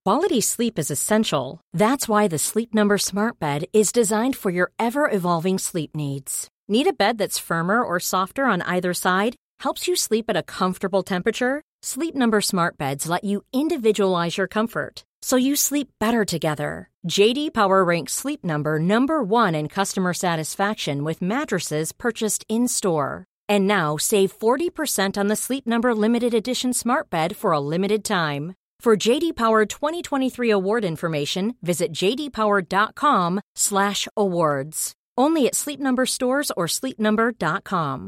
Quality sleep is essential. That's why the Sleep Number Smart Bed is designed for your ever-evolving sleep needs. Need a bed that's firmer or softer on either side? Helps you sleep at a comfortable temperature? Sleep Number Smart Beds let you individualize your comfort, so you sleep better together. J.D. Power ranks Sleep Number number 1 in customer satisfaction with mattresses purchased in-store. And now save 40% on the Sleep Number Limited Edition Smart Bed for a limited time. For J.D. Power 2023 award information, visit jdpower.com/awards. Only at Sleep Number stores or sleepnumber.com.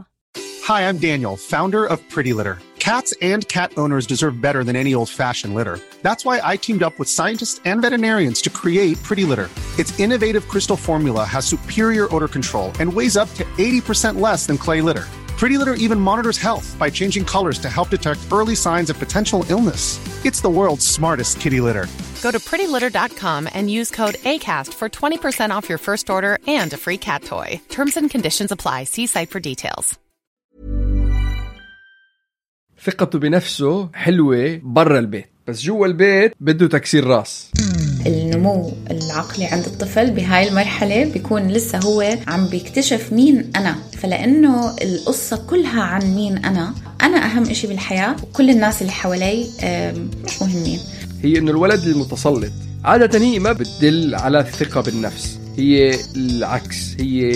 Hi, I'm Daniel, founder of Pretty Litter. Cats and cat owners deserve better than any old-fashioned litter. That's why I teamed up with scientists and veterinarians to create Pretty Litter. Its innovative crystal formula has superior odor control and weighs up to 80% less than clay litter. Pretty Litter even monitors health by changing colors to help detect early signs of potential illness. It's the world's smartest kitty litter. Go to prettylitter.com and use code ACAST for 20% off your first order and a free cat toy. Terms and conditions apply. See site for details. ثقته بنفسه حلوة برا البيت، بس جوا البيت بده تكسير راس. النمو العقلي عند الطفل بهاي المرحلة بيكون لسه هو عم بيكتشف مين أنا، فلأنه القصة كلها عن مين أنا أهم إشي بالحياة وكل الناس اللي حوالي مش مهمين. هي إنه الولد المتسلط عادة هي ما بتدل على الثقة بالنفس، هي العكس، هي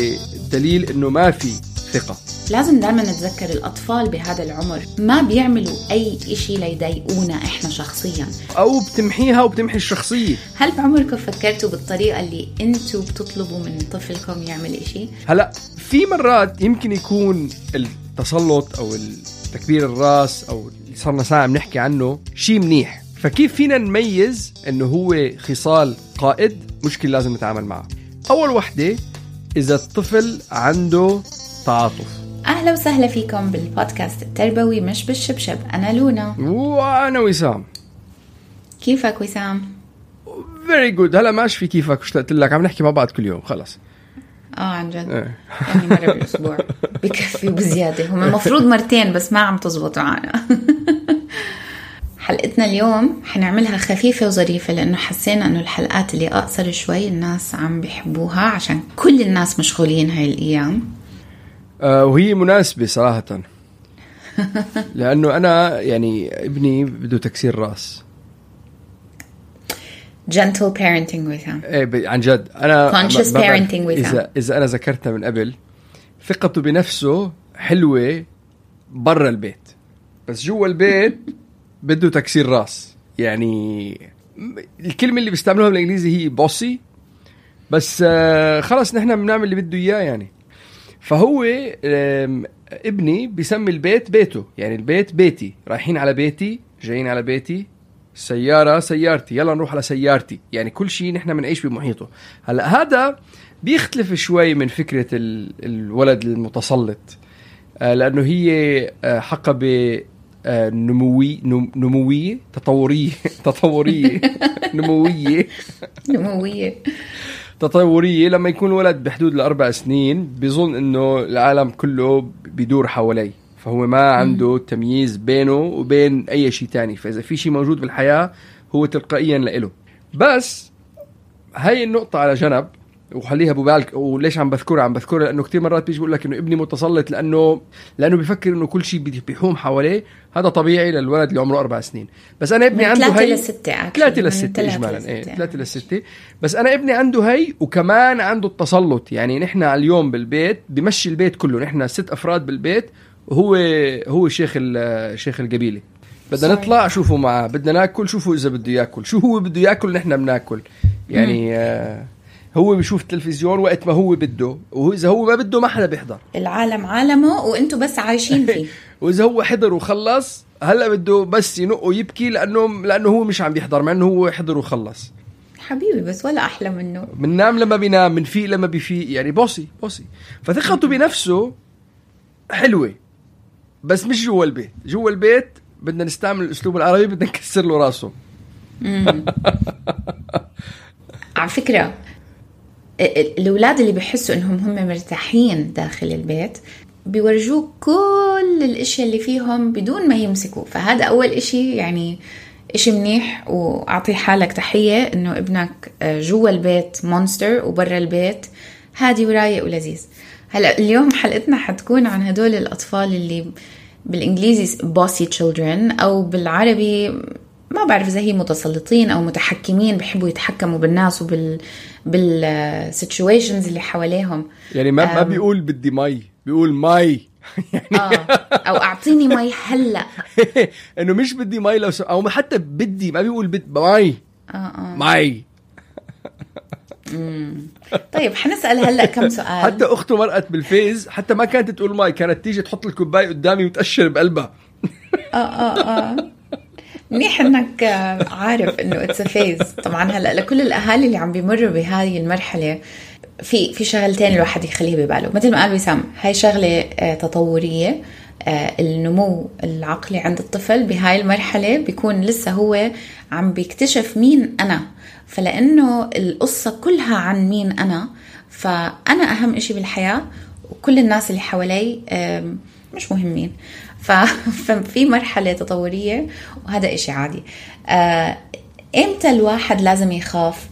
دليل إنه ما في ثقة. لازم دائما نتذكر الأطفال بهذا العمر ما بيعملوا أي إشي ليضايقونا إحنا شخصيا، أو بتمحيها وبتمحي الشخصية. هل بعمركم فكرتوا بالطريقة اللي أنتوا بتطلبوا من طفلكم يعمل إشي؟ هلأ في مرات يمكن يكون التسلط أو تكبير الراس أو اللي صرنا ساعة بنحكي عنه شيء منيح، فكيف فينا نميز إنه هو خصال قائد مشكلة لازم نتعامل معه؟ أول وحدة إذا الطفل عنده تعاطف. أهلا وسهلا فيكم بالبودكاست التربوي مش بالشبشب. أنا لونا وأنا وسام. كيفك وسام؟ very good. هلا ماشي في كيفك، اشتقت لك، عم نحكي مع بعض كل يوم خلص. عن جد يعني مرة بالأسبوع بكفي وبزيادة، هم المفروض مرتين بس ما عم تزبط معنا. حلقتنا اليوم حنعملها خفيفة وظريفة لأنه حسينا أنه الحلقات اللي أقصر شوي الناس عم بيحبوها عشان كل الناس مشغولين هاي الأيام. وهي مناسبة صراحة لأنه أنا يعني ابني بده تكسير راس. gentle parenting وسام. إيه عن جد أنا conscious parenting وسام. إذا أنا ذكرتها من قبل، ثقته بنفسه حلوة برا البيت، بس جوا البيت بده تكسير راس. يعني الكلمة اللي بيستعملوها بالإنجليزي هي bossy، بس خلص نحن بنعمل اللي بده إياه يعني. فهو ابني بيسمي البيت بيته، يعني البيت بيتي، رايحين على بيتي، جايين على بيتي، السيارة سيارتي، يلا نروح على سيارتي، يعني كل شيء نحن منعيش بمحيطه. هلأ هذا بيختلف شوي من فكرة الولد المتسلط، لأنه هي حقبة نموية تطورية. لما يكون ولد بحدود 4 سنين بيظن انه العالم كله بيدور حواليه، فهو ما عنده تمييز بينه وبين اي شيء تاني، فاذا في شيء موجود بالحياة هو تلقائيا لإله. بس هاي النقطة على جنب وخليها ببالك. وليش عم بذكرها لانه كتير مرات بيجي بقول لك انه ابني متسلط لانه بيفكر انه كل شيء بيحوم حواليه. هذا طبيعي للولد اللي عمره 4 سنين. بس انا ابني عنده هي 3 ل 6 اجمالا 3 ل 6. بس انا ابني عنده هي وكمان عنده التسلط. يعني نحن اليوم بالبيت بمشي البيت كله، نحن 6 افراد بالبيت وهو شيخ القبيلة. بدنا نطلع شوفوا معه، بدنا ناكل شوفوا اذا بده ياكل، شو هو بده ياكل نحن بناكل. يعني هو بيشوف التلفزيون وقت ما هو بده، وإذا هو ما بده ما حدا بيحضر. العالم عالمه وانتوا بس عايشين فيه. وإذا هو حضر وخلص هلأ بده بس ينق ويبكي لأنه هو مش عم بيحضر، مع أنه هو حضر وخلص. حبيبي بس ولا أحلى منه. بننام لما بينام، بنفيق لما بيفيق، يعني بوسي. فثقته بنفسه حلوة، بس مش جوا البيت. جوا البيت بدنا نستعمل الأسلوب العربي، بدنا نكسر له راسه. على فكرة الأولاد اللي بيحسوا إنهم هم مرتاحين داخل البيت بيورجوك كل الاشياء اللي فيهم بدون ما يمسكوا. فهذا أول إشي يعني إشي منيح، وأعطي حالك تحية إنه ابنك جوا البيت مونستر وبرا البيت هادي ورايق ولذيذ. هلأ اليوم حلقتنا حتكون عن هدول الأطفال اللي بالإنجليزي bossy children، أو بالعربي ما بعرف إذا هي متسلطين أو متحكمين، بيحبوا يتحكموا بالناس بالsituations اللي حواليهم. يعني ما بيقول بدي مي، بيقول مي يعني أو أعطيني مي هلأ. إنه مش بدي مي لو أو حتى بدي، ما بيقول مي مي. طيب حنسأل هلأ كم سؤال. حتى أخته مرقت بالفيز، حتى ما كانت تقول ماي، كانت تيجي تحط الكوباية قدامي وتأشر بقلبها. منيح انك عارف انه اتس فيز. طبعا هلأ لكل الأهالي اللي عم بيمروا بهذه المرحلة في شغلتين الواحد يخليه بباله. مثل ما قال وسام، هاي شغلة تطورية. النمو العقلي عند الطفل بهاي المرحلة بيكون لسه هو عم بيكتشف مين أنا، فلأنه القصة كلها عن مين أنا، فأنا أهم إشي بالحياة وكل الناس اللي حوالي مش مهمين. ففي مرحلة تطورية وهذا إشي عادي. إمتى الواحد لازم يخاف؟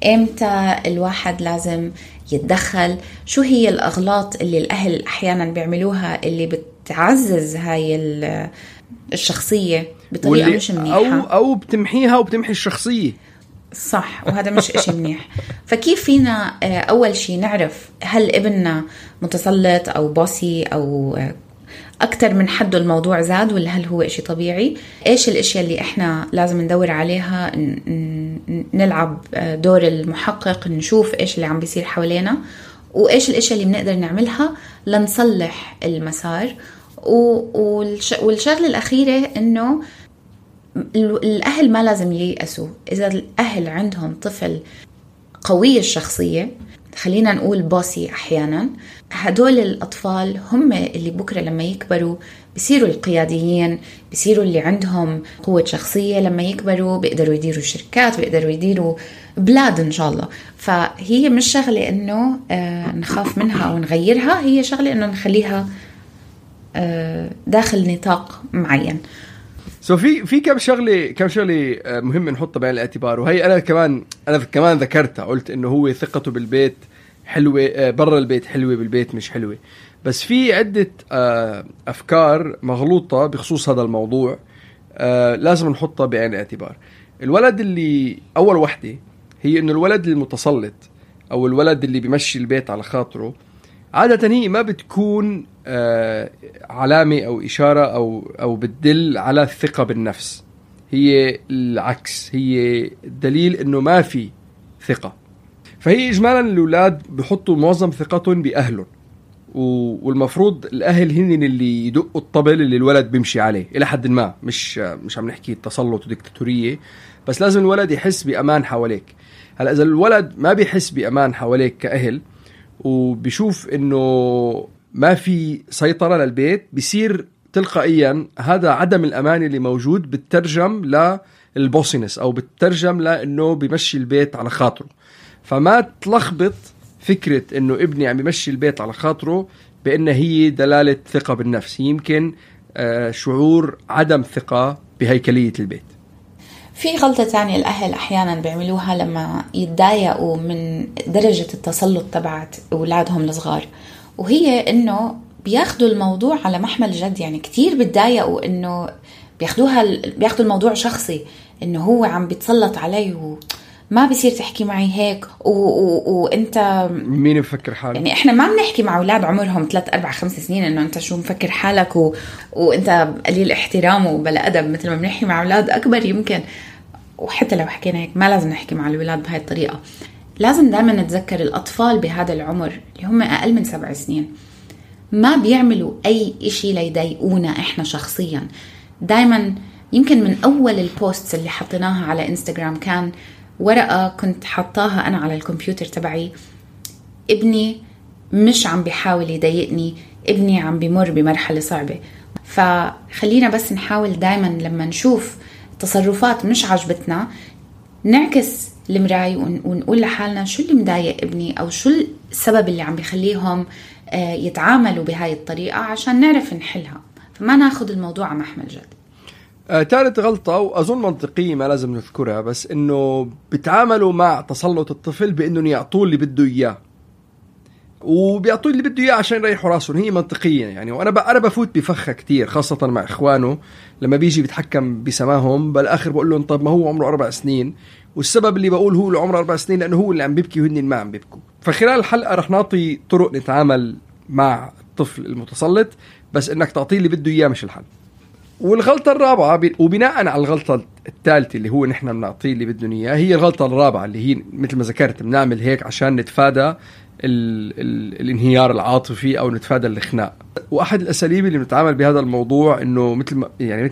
إمتى الواحد لازم يتدخل؟ شو هي الأغلاط اللي الأهل أحيانا بيعملوها اللي بتعزز هاي الشخصية بطريقة مش منيحة، أو بتمحيها وبتمحي الشخصية؟ صح، وهذا مش إشي منيح. فكيف فينا أول شي نعرف هل ابننا متسلط أو بوسي أو أكتر من حده الموضوع زاد، ولا هل هو إشي طبيعي؟ إيش الأشياء اللي إحنا لازم ندور عليها؟ نلعب دور المحقق، نشوف إيش اللي عم بيصير حوالينا، وإيش الأشياء اللي بنقدر نعملها لنصلح المسار. والشغلة الأخيرة إنه الأهل ما لازم ييأسوا. إذا الأهل عندهم طفل قوي الشخصية، خلينا نقول بوسي أحيانا، هدول الأطفال هم اللي بكرة لما يكبروا بيصيروا القياديين، بيصيروا اللي عندهم قوة شخصية. لما يكبروا بيقدروا يديروا شركات، بيقدروا يديروا بلاد إن شاء الله. فهي مش شغلة إنه نخاف منها ونغيرها، هي شغلة إنه نخليها داخل نطاق معين. في كم شغله مهم نحطها بعين الاعتبار، وهي انا كمان ذكرتها، قلت انه هو ثقته بالبيت حلوه، برا البيت حلوه، بالبيت مش حلوه. بس في عده افكار مغلوطه بخصوص هذا الموضوع لازم نحطها بعين الاعتبار. الولد اللي اول وحده هي انه الولد المتسلط او الولد اللي بيمشي البيت على خاطره، عادة هي ما بتكون علامة أو إشارة أو بتدل على الثقة بالنفس. هي العكس، هي دليل إنه ما في ثقة. فهي إجمالا الأولاد بيحطوا معظم ثقتهم بأهلهم، والمفروض الأهل هن اللي يدقوا الطبل اللي الولد بيمشي عليه إلى حد ما. مش عم نحكي تسلط وديكتاتورية، بس لازم الولد يحس بأمان حواليك. هلأ إذا الولد ما بيحس بأمان حواليك كأهل، وبيشوف انه ما في سيطرة للبيت، بيصير تلقائيا هذا عدم الأمان اللي موجود بتترجم للبوسينس، او بتترجم لانه بيمشي البيت على خاطره. فما تلخبط فكرة انه ابني عم يمشي البيت على خاطره بأن هي دلالة ثقة بالنفس، يمكن شعور عدم ثقة بهيكلية البيت. في غلطة تانية الأهل أحيانا بيعملوها لما يتضايقوا من درجة التسلط تبعت أولادهم الصغار، وهي إنه بياخدوا الموضوع على محمل جد. يعني كتير بيتضايقوا إنه بياخدوا الموضوع شخصي، إنه هو عم بيتسلط علي وما بيصير تحكي معي هيك وإنت مين بفكر حالك. يعني إحنا ما بنحكي مع أولاد عمرهم 3 4 5 سنين إنه أنت شو مفكر حالك وإنت قليل احترام وبلا أدب، مثل ما بنحكي مع أولاد أكبر يمكن. وحتى لو حكينا هيك ما لازم نحكي مع الولاد بهاي الطريقة. لازم دائما نتذكر الأطفال بهذا العمر اللي هم أقل من 7 سنين ما بيعملوا أي إشي ليضايقونا إحنا شخصيا. دائما يمكن من أول البوستس اللي حطيناها على إنستغرام كان ورقة كنت حطاها أنا على الكمبيوتر تبعي: ابني مش عم بيحاول يضايقني، ابني عم بيمر بمرحلة صعبة. فخلينا بس نحاول دائما لما نشوف تصرفات مش عجبتنا نعكس المراية ونقول لحالنا شو اللي مضايق ابني، أو شو السبب اللي عم بيخليهم يتعاملوا بهاي الطريقة، عشان نعرف نحلها، فما ناخد الموضوع على محمل جد. ثالث غلطة وأظن منطقية ما لازم نذكرها، بس إنه بيتعاملوا مع تسلط الطفل بإنهم يعطوه اللي بده إياه، وبيعطوه اللي بده إياه عشان يريحوا راسهم. هي منطقية يعني. وأنا بفوت بفخة كتير خاصة مع إخوانه لما بيجي بيتحكم بسماهم، بالآخر بقول لهم طب ما هو عمره 4 سنين، والسبب اللي بقول هو اللي عمره 4 سنين لأنه هو اللي عم بيبكي وهن ما عم بيبكوا. فخلال الحلقة رح نعطي طرق نتعامل مع الطفل المتسلط، بس إنك تعطيه اللي بده إياه مش الحل. والغلطة الرابعة وبناء على الغلطة الثالثة اللي هو نحن بنعطيه اللي بدنا إياه، هي الغلطة الرابعة اللي هي مثل ما ذكرت بنعمل هيك عشان نتفادى الانهيار العاطفي أو نتفادى الخناق. وأحد الأساليب اللي بنتعامل بهذا الموضوع إنه مثل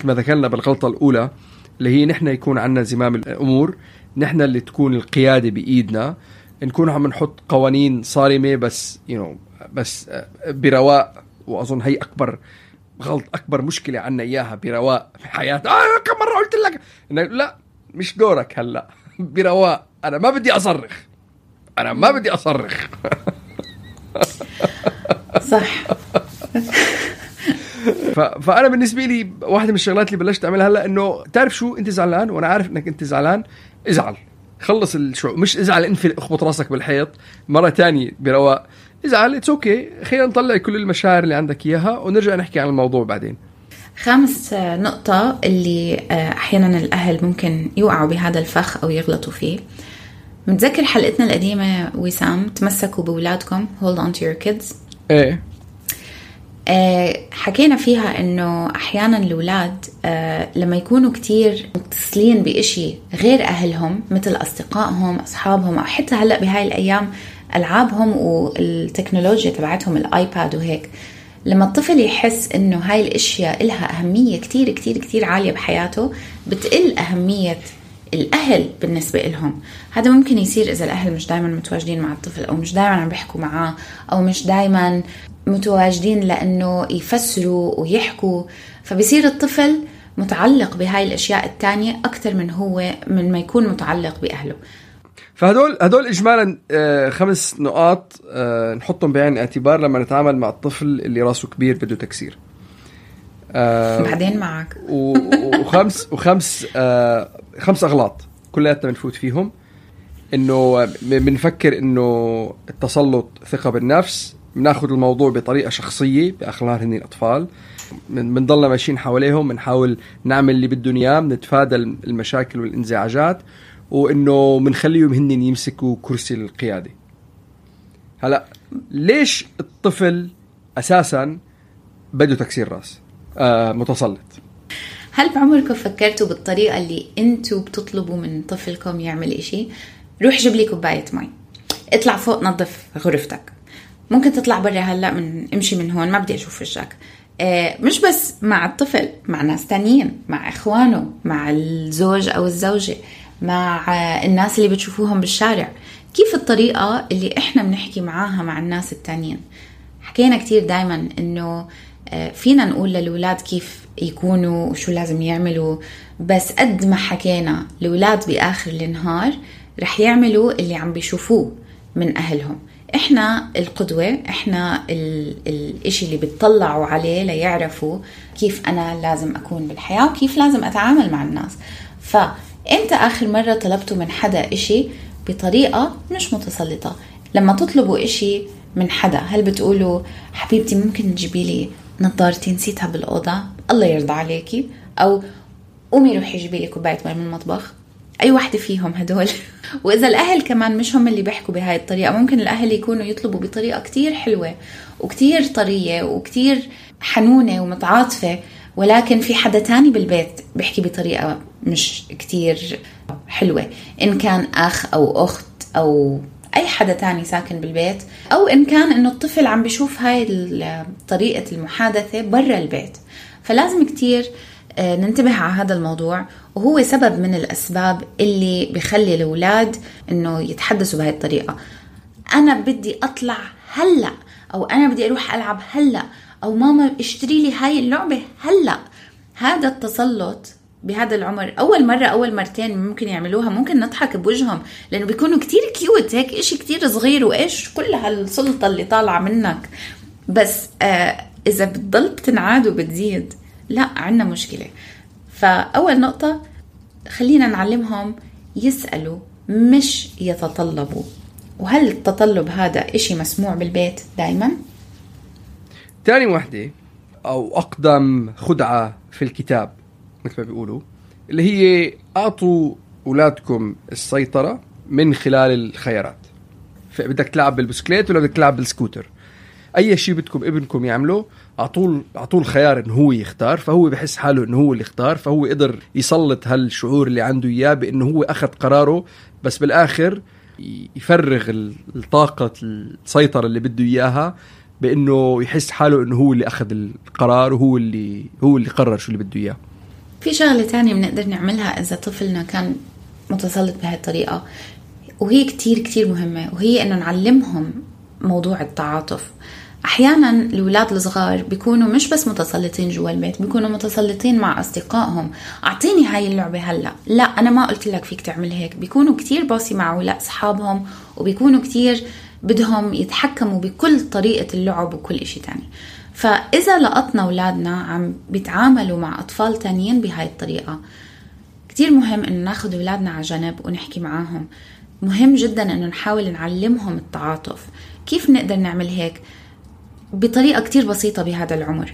ما ذكرنا بالغلطة الأولى اللي هي نحن يكون عنا زمام الأمور، نحن اللي تكون القيادة بإيدنا، نكون عم نحط قوانين صارمة بس بس برواق. وأظن هي أكبر مشكلة عنا إياها برواق في حياتنا. كم مرة قلت لك لا مش دورك هلأ برواق، أنا ما بدي أصرخ صح. فأنا بالنسبة لي واحدة من الشغلات اللي بلشت أعملها هلأ إنه تعرف شو، أنت زعلان وأنا عارف إنك أنت زعلان، ازعل، خلص مش ازعل انفل اخبط راسك بالحيط مرة تانية برواق، ازعل اتس اوكي، خلينا نطلع كل المشاعر اللي عندك اياها ونرجع نحكي عن الموضوع بعدين. خامس نقطة اللي احيانا الاهل ممكن يوقعوا بهذا الفخ او يغلطوا فيه، متذكر حلقتنا القديمة وسام تمسكوا بولادكم hold on to your kids؟ ايه حكينا فيها انه احيانا الاولاد لما يكونوا كتير متصلين بإشي غير اهلهم مثل اصدقائهم اصحابهم او حتى هلأ بهاي الايام العابهم والتكنولوجيا تبعتهم الايباد وهيك، لما الطفل يحس انه هاي الاشياء لها اهمية كتير كتير كتير عالية بحياته بتقل اهمية الأهل بالنسبة لهم. هذا ممكن يصير إذا الأهل مش دايما متواجدين مع الطفل أو مش دايما عم بيحكوا معاه أو مش دايما متواجدين لأنه يفسروا ويحكوا، فبيصير الطفل متعلق بهاي الأشياء التانية أكتر من ما يكون متعلق بأهله. فهدول إجمالا 5 نقاط نحطهم بعين الاعتبار لما نتعامل مع الطفل اللي راسه كبير بده تكسير. بعدين معك خمس أغلاط كلياتنا بنفوت فيهم. إنه بنفكر إنه التسلط ثقة بالنفس، بناخد الموضوع بطريقة شخصية بأخلاق هني الأطفال، بنضلنا ماشيين حواليهم، بنحاول نعمل اللي بدهم إياه، بنتفادى المشاكل والانزعاجات، وإنه بنخليهم هني يمسكوا كرسي القيادة. هلأ ليش الطفل أساسا بده تكسير راس متسلط؟ هل بعمركم فكرتوا بالطريقة اللي انتوا بتطلبوا من طفلكم يعمل اشي؟ روح جيب لي كوباية مي، اطلع فوق نظف غرفتك، ممكن تطلع برا هلأ امشي من هون ما بدي اشوف وجهك. مش بس مع الطفل، مع ناس تانيين، مع اخوانه، مع الزوج او الزوجة، مع الناس اللي بتشوفوهم بالشارع. كيف الطريقة اللي احنا بنحكي معاها مع الناس التانيين؟ حكينا كتير دايما انه فينا نقول للولاد كيف يكونوا وشو لازم يعملوا، بس قد ما حكينا الولاد بآخر النهار رح يعملوا اللي عم بيشوفوه من أهلهم. إحنا القدوة، إحنا الإشي اللي بتطلعوا عليه ليعرفوا كيف أنا لازم أكون بالحياة وكيف لازم أتعامل مع الناس. فإمتى آخر مرة طلبتوا من حدا إشي بطريقة مش متسلطة؟ لما تطلبوا إشي من حدا هل بتقولوا حبيبتي ممكن تجيبي لي نظارتي نسيتها بالأوضة الله يرضى عليكي، أو قومي روحي جيبي لي كوباية ماء من المطبخ؟ أي واحدة فيهم هدول؟ وإذا الأهل كمان مش هم اللي بيحكوا بهاي الطريقة، ممكن الأهل يكونوا يطلبوا بطريقة كتير حلوة وكتير طرية وكتير حنونة ومتعاطفة، ولكن في حدا تاني بالبيت بيحكي بطريقة مش كتير حلوة، إن كان أخ أو أخت أو أي حدا تاني ساكن بالبيت، أو إن كان إنه الطفل عم بيشوف هاي طريقة المحادثة برا البيت. فلازم كتير ننتبه على هذا الموضوع، وهو سبب من الأسباب اللي بيخلي الأولاد إنه يتحدثوا بهاي الطريقة. أنا بدي أطلع هلأ، أو أنا بدي أروح ألعب هلأ، أو ماما اشتري لي هاي اللعبة هلأ. هذا التسلط بهذا العمر أول مرة أول مرتين ممكن يعملوها، ممكن نضحك بوجههم لأنه بيكونوا كتير كيوت، هيك إشي كتير صغير وإيش كل هالسلطة اللي طالعة منك. بس إذا بتضل بتنعاد وبتزيد لا عنا مشكلة. فأول نقطة خلينا نعلمهم يسألوا مش يتطلبوا. وهل التطلب هذا إشي مسموع بالبيت دايما؟ تاني وحدة أو أقدم خدعة في الكتاب مثل ما بيقولوا اللي هي أعطوا أولادكم السيطرة من خلال الخيارات. فبدك تلعب بالبسكليت ولا بدك تلعب بالسكوتر، أي شيء بدكم ابنكم يعمله أعطوه الخيار إنه هو يختار، فهو بحس حاله إنه هو اللي اختار، فهو قدر يسلط هالشعور اللي عنده إياه بإنه هو أخذ قراره، بس بالآخر يفرغ الطاقة السيطرة اللي بده إياها بإنه يحس حاله إنه هو اللي أخذ القرار وهو اللي قرر شو اللي بده إياه. في شغلة تانية بنقدر نعملها إذا طفلنا كان متسلط بهذه الطريقة، وهي كتير كتير مهمة، وهي إنه نعلمهم موضوع التعاطف. أحيانا الأولاد الصغار بيكونوا مش بس متسلطين جوا البيت، بيكونوا متسلطين مع أصدقائهم. أعطيني هاي اللعبة هلأ، لا أنا ما قلت لك فيك تعمل هيك. بيكونوا كتير باصي مع أولاد أصحابهم، وبيكونوا كتير بدهم يتحكموا بكل طريقة اللعب وكل إشي تاني. فإذا لقطنا أولادنا عم بيتعاملوا مع أطفال تانيين بهاي الطريقة، كتير مهم إنه ناخد أولادنا على جنب ونحكي معاهم. مهم جدا إنه نحاول نعلمهم التعاطف. كيف نقدر نعمل هيك؟ بطريقة كتير بسيطة بهذا العمر.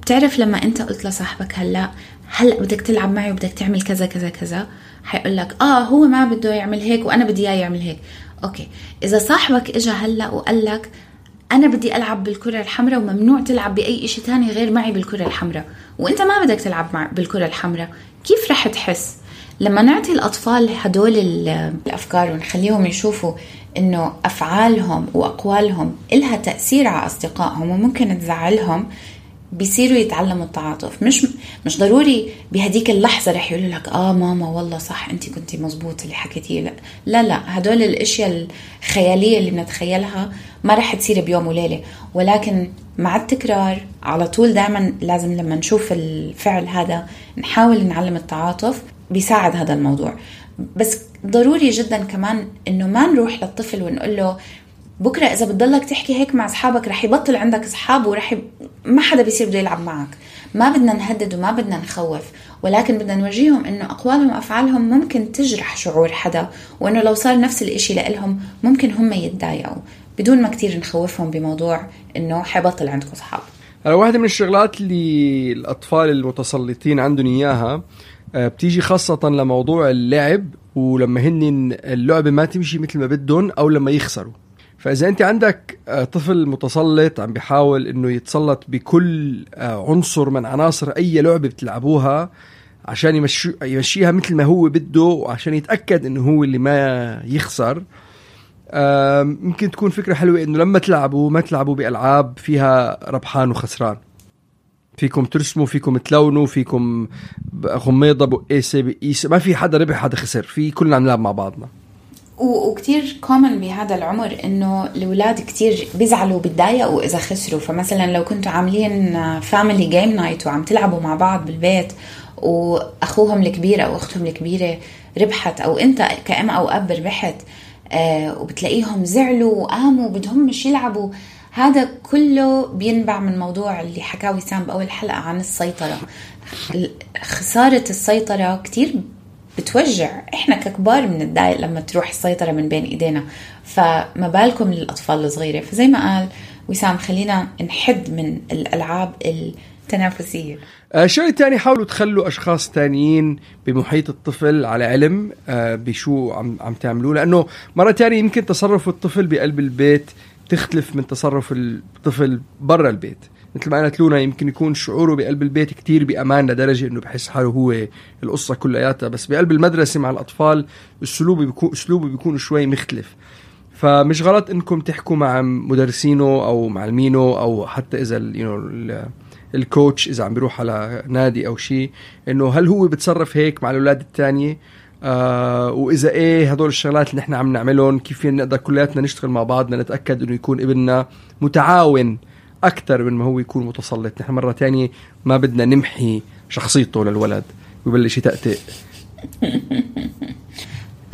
بتعرف لما أنت قلت لصاحبك هلأ بدك تلعب معي وبدك تعمل كذا كذا كذا، حيقول لك هو ما بده يعمل هيك وأنا بدي إياه يعمل هيك. أوكي، إذا صاحبك إجا هلأ وقال لك أنا بدي ألعب بالكرة الحمراء وممنوع تلعب بأي إشي تاني غير معي بالكرة الحمراء، وإنت ما بدك تلعب بالكرة الحمراء، كيف رح تحس؟ لما نعطي الأطفال هدول الأفكار ونخليهم يشوفوا إنه أفعالهم وأقوالهم إلها تأثير على أصدقائهم وممكن تزعلهم، بيصيروا يتعلموا التعاطف. مش ضروري بهديك اللحظة رح يقولوا لك ماما والله صح أنت كنتي مزبوط اللي حكيتيه. لا هدول الأشياء الخيالية اللي بنتخيلها ما رح تصير بيوم وليلة، ولكن مع التكرار على طول دائما لازم لما نشوف الفعل هذا نحاول نعلم التعاطف. بيساعد هذا الموضوع. بس ضروري جدا كمان إنه ما نروح للطفل ونقول له بكرة إذا بتضلك تحكي هيك مع أصحابك رح يبطل عندك أصحاب ما حدا بيصير بده يلعب معك. ما بدنا نهدد وما بدنا نخوف، ولكن بدنا نورجيهم إنه أقوالهم وأفعالهم ممكن تجرح شعور حدا، وإنه لو صار نفس الإشي لإلهم ممكن هم يتضايقوا، بدون ما كتير نخوفهم بموضوع إنه حيبطل عندكم أصحاب. واحدة من الشغلات اللي الأطفال المتسلطين عندهم إياها بتيجي خاصة لموضوع اللعب، ولما هن اللعبة ما تمشي مثل ما بدهم أو لما يخسروا. فإذا أنت عندك طفل متسلط عم بيحاول إنه يتسلط بكل عنصر من عناصر أي لعبة بتلعبوها عشان يمشيها مثل ما هو بده وعشان يتأكد إنه هو اللي ما يخسر، ممكن تكون فكرة حلوة إنه لما تلعبوا ما تلعبوا بألعاب فيها ربحان وخسران. فيكم ترسموا، فيكم تلونوا، فيكم غميضة بقيسة بقيسة، ما في حدا ربح حدا خسر، في كلنا نلعب مع بعضنا. وكتير كومن بهذا العمر إنه الأولاد كتير بيزعلوا بيتضايقوا إذا خسروا. فمثلا لو كنتوا عاملين فاميلي جيم نايت وعم تلعبوا مع بعض بالبيت وأخوهم الكبير أو أختهم الكبيرة ربحت، أو أنت كأم أو أب ربحت، وبتلاقيهم زعلوا وقاموا بدهم مش يلعبوا، هذا كله بينبع من موضوع اللي حكاه وسام بأول حلقة عن السيطرة. خسارة السيطرة كتير بتوجع، احنا ككبار بنتضايق لما تروح السيطرة من بين ايدينا، فما بالكم للأطفال الصغيرة. فزي ما قال وسام خلينا نحد من الألعاب التنافسية. شيء تاني، حاولوا تخلوا أشخاص تانيين بمحيط الطفل على علم بشو عم تعملوه، لأنه مرة تانية يمكن تصرف الطفل بقلب البيت تختلف من تصرف الطفل برا البيت. مثل ما قالت لونا يمكن يكون شعوره بقلب البيت كتير بأمان لدرجة إنه بحس حاله هو القصة كلياتها، بس بقلب المدرسة مع الأطفال أسلوبه بيكون شوي مختلف. فمش غلط إنكم تحكوا مع مدرسينه أو معلمينه أو حتى إذا الكوتش إذا عم بيروح على نادي أو شيء، إنه هل هو بتصرف هيك مع الأولاد التانية، وإذا إيه هدول الشغلات اللي نحن عم نعملهم كيف نقدر كلياتنا نشتغل مع بعضنا نتأكد إنه يكون ابننا متعاون أكتر من ما هو يكون متسلط. نحن مرة تانية ما بدنا نمحي شخصيته للولد ويبلش يتأتئ.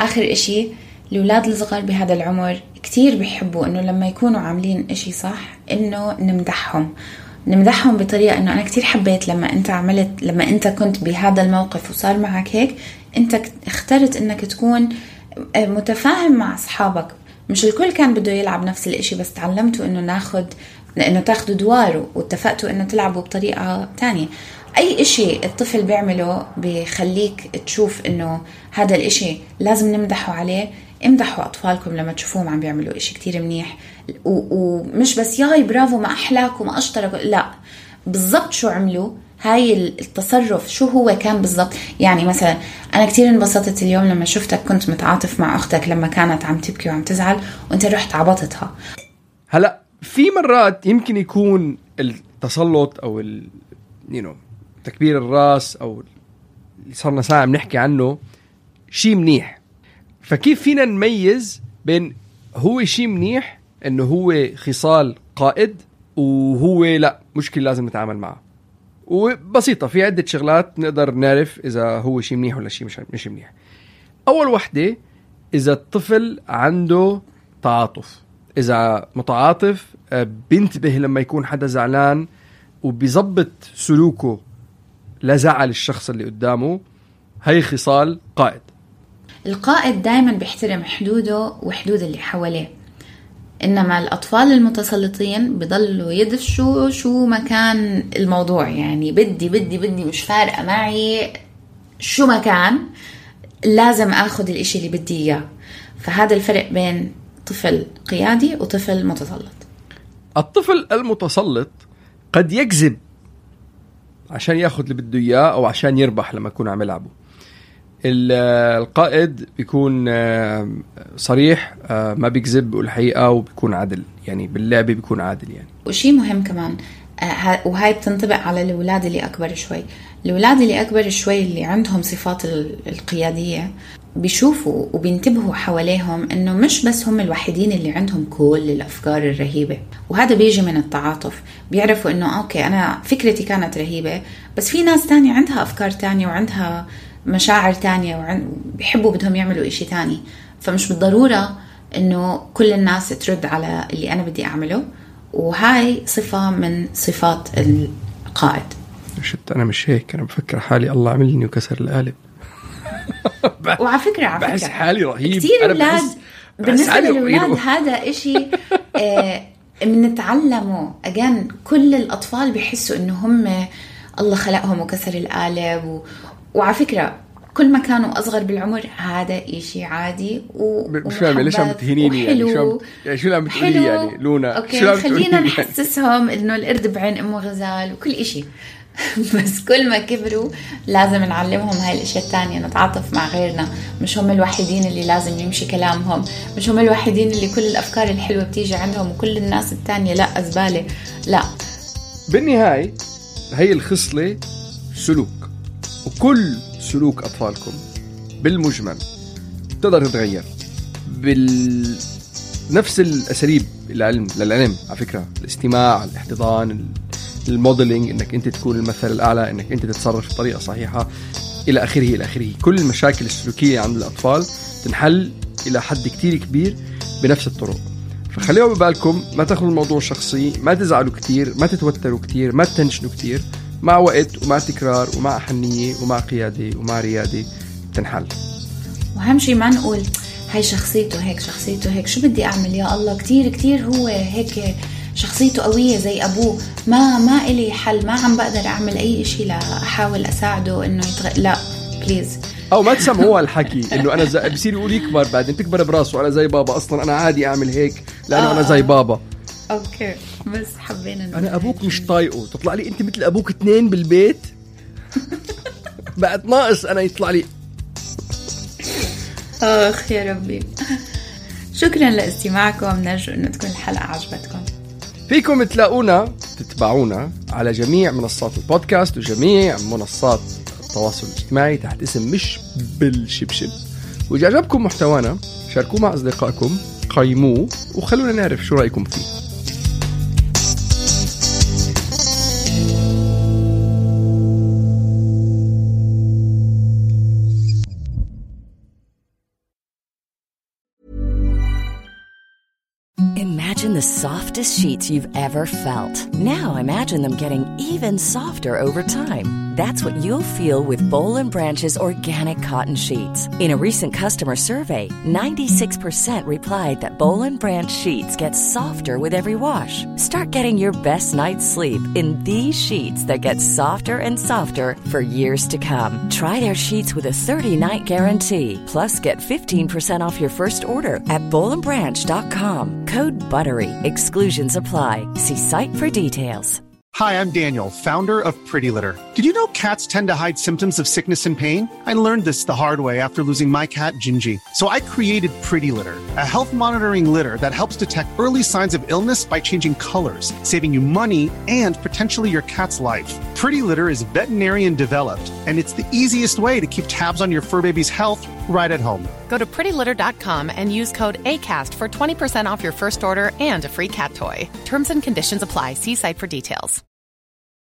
آخر إشي، الأولاد الصغار بهذا العمر كتير بيحبوا إنه لما يكونوا عاملين إشي صح إنه نمدحهم. نمدحهم بطريقة إنه أنا كتير حبيت لما أنت كنت بهذا الموقف وصار معك هيك، أنت اخترت إنك تكون متفاهم مع أصحابك. مش الكل كان بده يلعب نفس الاشي، بس تعلمتوا إنه تاخدوا دواره، واتفقتوا إنه تلعبوا بطريقة تانية. أي إشي الطفل بيعمله بيخليك تشوف إنه هذا الإشي لازم نمدحه عليه. امدحوا أطفالكم لما تشوفوهم عم بيعملوا إشي كتير منيح، ومش بس ياي برافو ما أحلاك وما أشترك، لا، بالضبط شو عملوا، هاي التصرف شو هو كان بالضبط. يعني مثلا أنا كتير انبسطت اليوم لما شفتك كنت متعاطف مع أختك لما كانت عم تبكي وعم تزعل وانت رحت عبطتها. هلأ في مرات يمكن يكون التسلط أو تكبير الراس أو اللي صارنا ساعة بنحكي عنه شيء منيح. فكيف فينا نميز بين هو شيء منيح إنه هو خصال قائد وهو لا مشكلة لازم نتعامل معه؟ وبسيطة، في عدة شغلات نقدر نعرف إذا هو شيء منيح ولا شيء مش منيح. أول وحدة، إذا الطفل عنده تعاطف، إذا متعاطف بينتبه لما يكون حدا زعلان وبيزبط سلوكه لزعل الشخص اللي قدامه، هاي خصال قائد. القائد دايما بيحترم حدوده وحدود اللي حواليه، إنما الأطفال المتسلطين بيضلوا يدفشوا شو مكان الموضوع، يعني بدي مش فارقة معي شو مكان، لازم أخذ الإشي اللي بدي إياه. فهذا الفرق بين طفل قيادي وطفل متسلط. الطفل المتسلط قد يكذب عشان ياخذ اللي بده إياه أو عشان يربح لما يكون عم يلعبه. القائد بيكون صريح، ما بيكذب، بيقول الحقيقة وبيكون عادل، يعني باللعبة بيكون عادل يعني. وشي مهم كمان، وهاي بتنطبق على الأولاد اللي أكبر شوي. الأولاد اللي أكبر شوي اللي عندهم صفات القيادية بيشوفوا وبينتبهوا حواليهم إنه مش بس هم الوحيدين اللي عندهم كل الأفكار الرهيبة، وهذا بيجي من التعاطف. بيعرفوا إنه أوكي أنا فكرتي كانت رهيبة، بس في ناس تانية عندها أفكار تانية وعندها مشاعر تانية وبيحبوا بدهم يعملوا إشي تاني. فمش بالضرورة إنه كل الناس ترد على اللي أنا بدي أعمله، وهاي صفة من صفات القائد. شفت أنا مش هيك، أنا بفكر حالي الله عملني وكسر القالب. وعلى فكرة بحس حالي رهيب. كتير أولاد بالنسبة للأولاد هذا إشي بنتعلمه. أجان كل الأطفال بيحسوا إنه هم الله خلقهم وكسر القالب وعلى فكرة كل ما كانوا أصغر بالعمر هذا إشي عادي مش فاهم ليش عم تهينيني يعني شو عم بتقولي يعني لونا؟ أوكي خلينا نحسسهم إنه القرد بعين أمه غزال وكل إشي. بس كل ما كبروا لازم نعلمهم هاي الاشياء التانية، نتعاطف مع غيرنا، مش هم الوحيدين اللي لازم يمشي كلامهم، مش هم الوحيدين اللي كل الافكار الحلوة بتيجي عندهم وكل الناس التانية لا أزبالة. لا، بالنهاية هي الخصلة سلوك، وكل سلوك أطفالكم بالمجمل تقدر تتغير بنفس الأساليب للعلم. على فكرة الاستماع، الاحتضان، الموديلينج، انك انت تكون المثل الاعلى، انك انت تتصرف بطريقه صحيحه، الى اخره. كل المشاكل السلوكيه عند الاطفال تنحل الى حد كتير كبير بنفس الطرق. فخليوا ببالكم، ما تاخذوا الموضوع شخصي، ما تزعلوا كتير، ما تتوتروا كتير، ما تتنشنوا كتير. مع وقت ومع تكرار ومع حنيه ومع قياده ومع رياده تنحل. واهم شيء ما نقول هاي شخصيته هيك شو بدي اعمل يا الله، كتير هو هيك شخصيته قوية زي أبوه، ما إلي حل، ما عم بقدر أعمل أي إشي لأحاول أساعده إنه لا بليز. أو ما تسمعوا الحكي إنه أنا بصير يقول يكبر بعدين تكبر براسه أنا زي بابا، أصلا أنا عادي أعمل هيك لأنه أنا زي بابا. أوكي بس حبينا أنا أبوك مش طايقه، تطلع لي أنت مثل أبوك 2 بالبيت. بعد ناقص أنا يطلع لي. آخ يا ربي. شكرا لاستماعكم، نرجو إنه تكون الحلقة عجبتكم. فيكم تتبعونا على جميع منصات البودكاست وجميع منصات التواصل الاجتماعي تحت اسم مش بالشبشب. وإذا عجبكم محتوانا شاركوه مع أصدقائكم، قيموه وخلونا نعرف شو رأيكم فيه. Imagine the softest sheets you've ever felt. Now imagine them getting even softer over time. That's what you'll feel with Boll & Branch's organic cotton sheets. In a recent customer survey, 96% replied that Boll & Branch sheets get softer with every wash. Start getting your best night's sleep in these sheets that get softer and softer for years to come. Try their sheets with a 30-night guarantee. Plus, get 15% off your first order at bollandbranch.com. Code BUTTERY. Exclusions apply. See site for details. Hi, I'm Daniel, founder of Pretty Litter. Did you know cats tend to hide symptoms of sickness and pain? I learned this the hard way after losing my cat, Gingy. So I created Pretty Litter, a health monitoring litter that helps detect early signs of illness by changing colors, saving you money and potentially your cat's life. Pretty Litter is veterinarian developed, and it's the easiest way to keep tabs on your fur baby's health right at home. Go to prettylitter.com and use code ACAST for 20% off your first order and a free cat toy. Terms and conditions apply. See site for details.